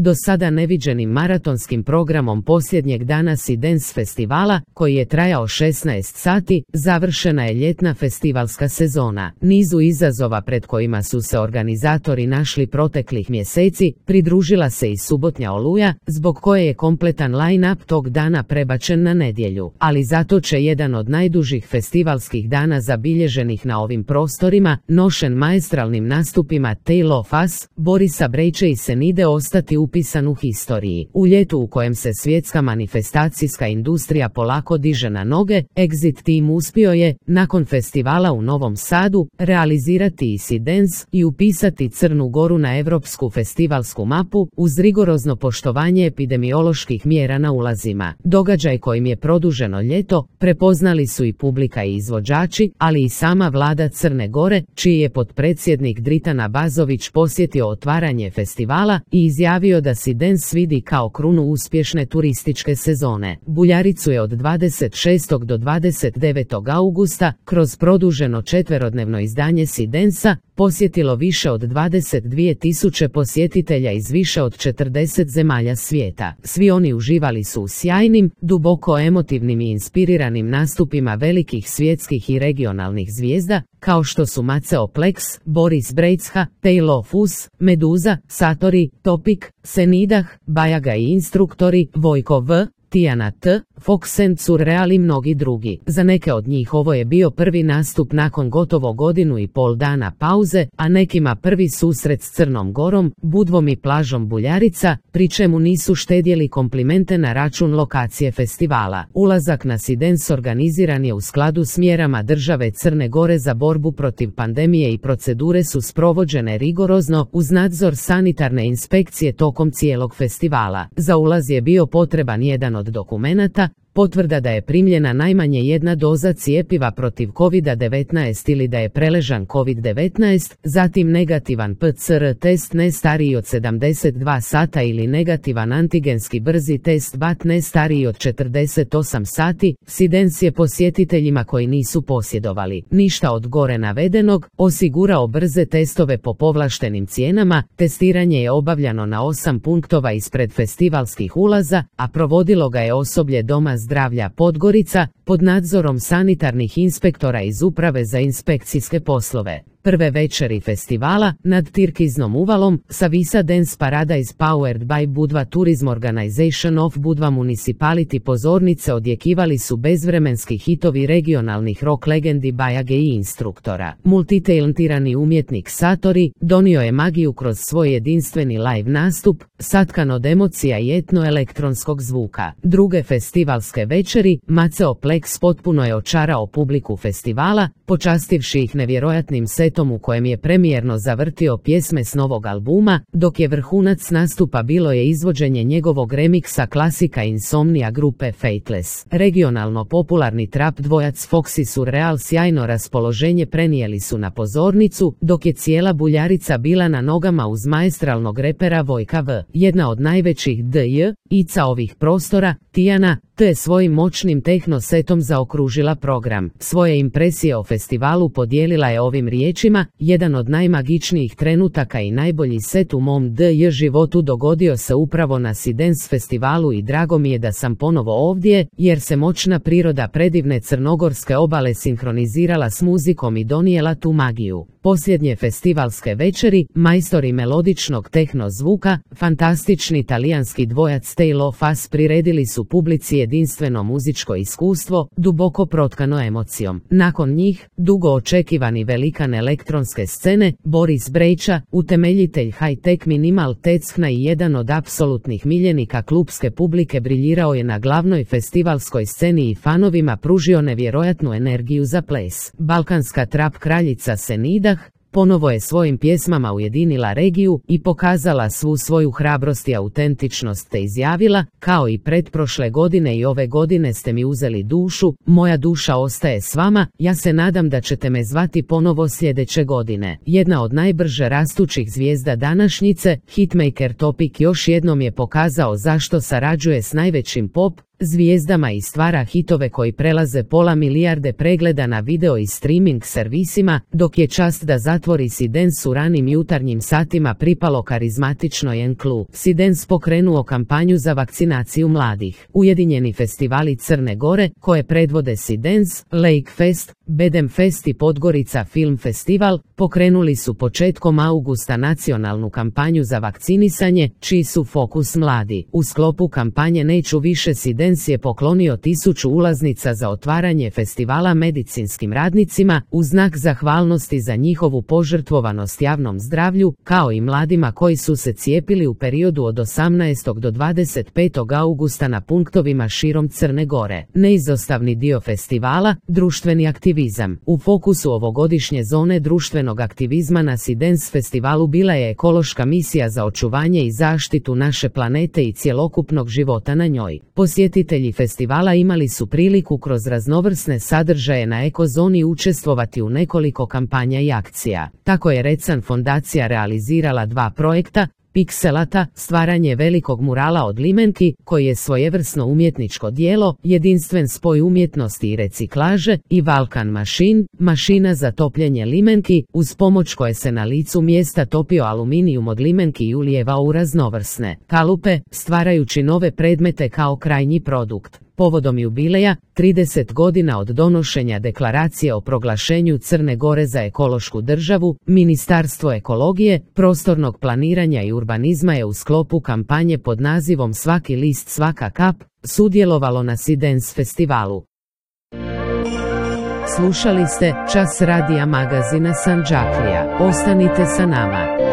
do sada neviđenim maratonskim programom posljednjeg dana Sea Dance festivala, koji je trajao 16 sati, završena je ljetna festivalska sezona. Nizu izazova pred kojima su se organizatori našli proteklih mjeseci, pridružila se i subotnja Oluja, zbog koje je kompletan line-up tog dana prebačen na nedjelju. Ali zato će jedan od najdužih festivalskih dana zabilježenih na ovim prostorima, nošen maestralnim nastupima Tale of Us, Borisa Brejče i Senide, ostati upisan u historiji. U ljetu u kojem se svjetska manifestacijska industrija polako diže na noge, Exit Team uspio je, nakon festivala u Novom Sadu, realizirati i Sea Dance i upisati Crnu Goru na europsku festivalsku mapu, uz rigorozno poštovanje epidemioloških mjera na ulazima. Događaj kojim je produženo ljeto prepoznali su i publika i izvođači, ali i sama vlada Crne Gore, čiji je potpredsjednik Dritan Abazović posjetio otvaranje festivala i izjavio da Sea Dance vidi kao krunu uspješne turističke sezone. Buljaricu je od 26. do 29. augusta, kroz produženo četverodnevno izdanje Sea Dance-a, posjetilo više od 22.000 posjetitelja iz više od 40 zemalja svijeta. Svi oni uživali su u sjajnim, duboko emotivnim i inspiriranim nastupima velikih svjetskih i regionalnih zvijezda, kao što su Maceo Plex, Boris Brejcha, Tale of Us, Meduza, Satori, Topic, Senidah, Bajaga i Instruktori, Vojko V, Tijana T, Fox and Surreal i mnogi drugi. Za neke od njih ovo je bio prvi nastup nakon gotovo godinu i pol dana pauze, a nekima prvi susret s Crnom Gorom, Budvom i plažom Buljarica, pri čemu nisu štedjeli komplimente na račun lokacije festivala. Ulazak na Sea Dance organiziran je u skladu s mjerama države Crne Gore za borbu protiv pandemije i procedure su sprovođene rigorozno uz nadzor sanitarne inspekcije tokom cijelog festivala. Za ulaz je bio potreban jedan od dokumenata, potvrda da je primljena najmanje jedna doza cjepiva protiv COVID-19 ili da je preležan COVID-19, zatim negativan PCR test ne stariji od 72 sata ili negativan antigenski brzi test BAT ne stariji od 48 sati. Sea Dance je posjetiteljima koji nisu posjedovali ništa od gore navedenog osigurao brze testove po povlaštenim cijenama. Testiranje je obavljano na 8 punktova ispred festivalskih ulaza, a provodilo ga je osoblje Doma zdravlja Podgorica pod nadzorom sanitarnih inspektora iz Uprave za inspekcijske poslove. Prve večeri festivala, nad Tirkiznom uvalom, Savisa Dance Paradise Powered by Budva Tourism Organization of Budva Municipality pozornice odjekivali su bezvremenski hitovi regionalnih rock legendi Bajage i Instruktora. Multitalentirani umjetnik Satori donio je magiju kroz svoj jedinstveni live nastup, satkan od emocija i etno-elektronskog zvuka. Druge festivalske večeri, Maceo Plex potpuno je očarao publiku festivala, počastivši ih nevjerojatnim setom u kojem je premijerno zavrtio pjesme s novog albuma, dok je vrhunac nastupa bilo je izvođenje njegovog remiksa klasika Insomnia grupe Fateless. Regionalno popularni trap dvojac Fox i Surreal sjajno raspoloženje prenijeli su na pozornicu, dok je cijela Buljarica bila na nogama uz maestralnog repera Vojka V. Jedna od najvećih DJ-ica ovih prostora, Tijana T je svojim moćnim tehno setom zaokružila program. Svoje impresije o festivalu podijelila je ovim riječima: jedan od najmagičnijih trenutaka i najbolji set u mom DJ životu dogodio se upravo na Sea Dance festivalu i drago mi je da sam ponovo ovdje, jer se moćna priroda predivne crnogorske obale sinkronizirala s muzikom i donijela tu magiju. Posljednje festivalske večeri, majstori melodičnog tehno zvuka, fantastični talijanski dvojac Tale of Us priredili su publici jedinstveno muzičko iskustvo, duboko protkano emocijom. Nakon njih, dugo očekivani velikan elektronske scene, Boris Brejcha, utemeljitelj high-tech minimal techna i jedan od apsolutnih miljenika klupske publike, briljirao je na glavnoj festivalskoj sceni i fanovima pružio nevjerojatnu energiju za ples. Balkanska trap kraljica Senidah ponovo je svojim pjesmama ujedinila regiju i pokazala svu svoju hrabrost i autentičnost te izjavila: kao i pretprošle godine i ove godine ste mi uzeli dušu, moja duša ostaje s vama, ja se nadam da ćete me zvati ponovo sljedeće godine. Jedna od najbrže rastućih zvijezda današnjice, hitmaker Topic još jednom je pokazao zašto sarađuje s najvećim pop, zvijezdama i stvara hitove koji prelaze pola milijarde pregleda na video i streaming servisima, dok je čast da zatvori Sidens u ranim jutarnjim satima pripalo karizmatičnoj enklu. Sidens pokrenuo kampanju za vakcinaciju mladih. Ujedinjeni festivali Crne Gore, koje predvode Sidens, Lake Fest, Bedem Fest i Podgorica Film Festival, pokrenuli su početkom augusta nacionalnu kampanju za vakcinisanje, čiji su fokus mladi. U sklopu kampanje Neću više Sidens je poklonio 1000 ulaznica za otvaranje festivala medicinskim radnicima, u znak zahvalnosti za njihovu požrtvovanost javnom zdravlju, kao i mladima koji su se cijepili u periodu od 18. do 25. augusta na punktovima širom Crne Gore. Neizostavni dio festivala, društveni aktivizam. U fokusu ovogodišnje zone društvenog aktivizma na Sidens festivalu bila je ekološka misija za očuvanje i zaštitu naše planete i cjelokupnog života na njoj. Posjetitelji festivala imali su priliku kroz raznovrsne sadržaje na ekozoni učestvovati u nekoliko kampanja i akcija. Tako je Recan fondacija realizirala 2 projekta, Pikselata, stvaranje velikog murala od limenki, koji je svojevrsno umjetničko djelo, jedinstven spoj umjetnosti i reciklaže, i Vulcan Machine, mašina za topljenje limenki, uz pomoć koje se na licu mjesta topio aluminijum od limenki i ulijevao u raznovrsne kalupe, stvarajući nove predmete kao krajnji produkt. Povodom jubileja, 30 godina od donošenja deklaracije o proglašenju Crne Gore za ekološku državu, Ministarstvo ekologije, prostornog planiranja i urbanizma je u sklopu kampanje pod nazivom Svaki list, svaka kap, sudjelovalo na Sidens festivalu. Slušali ste Čas radija magazina Sandžaklija. Ostanite sa nama.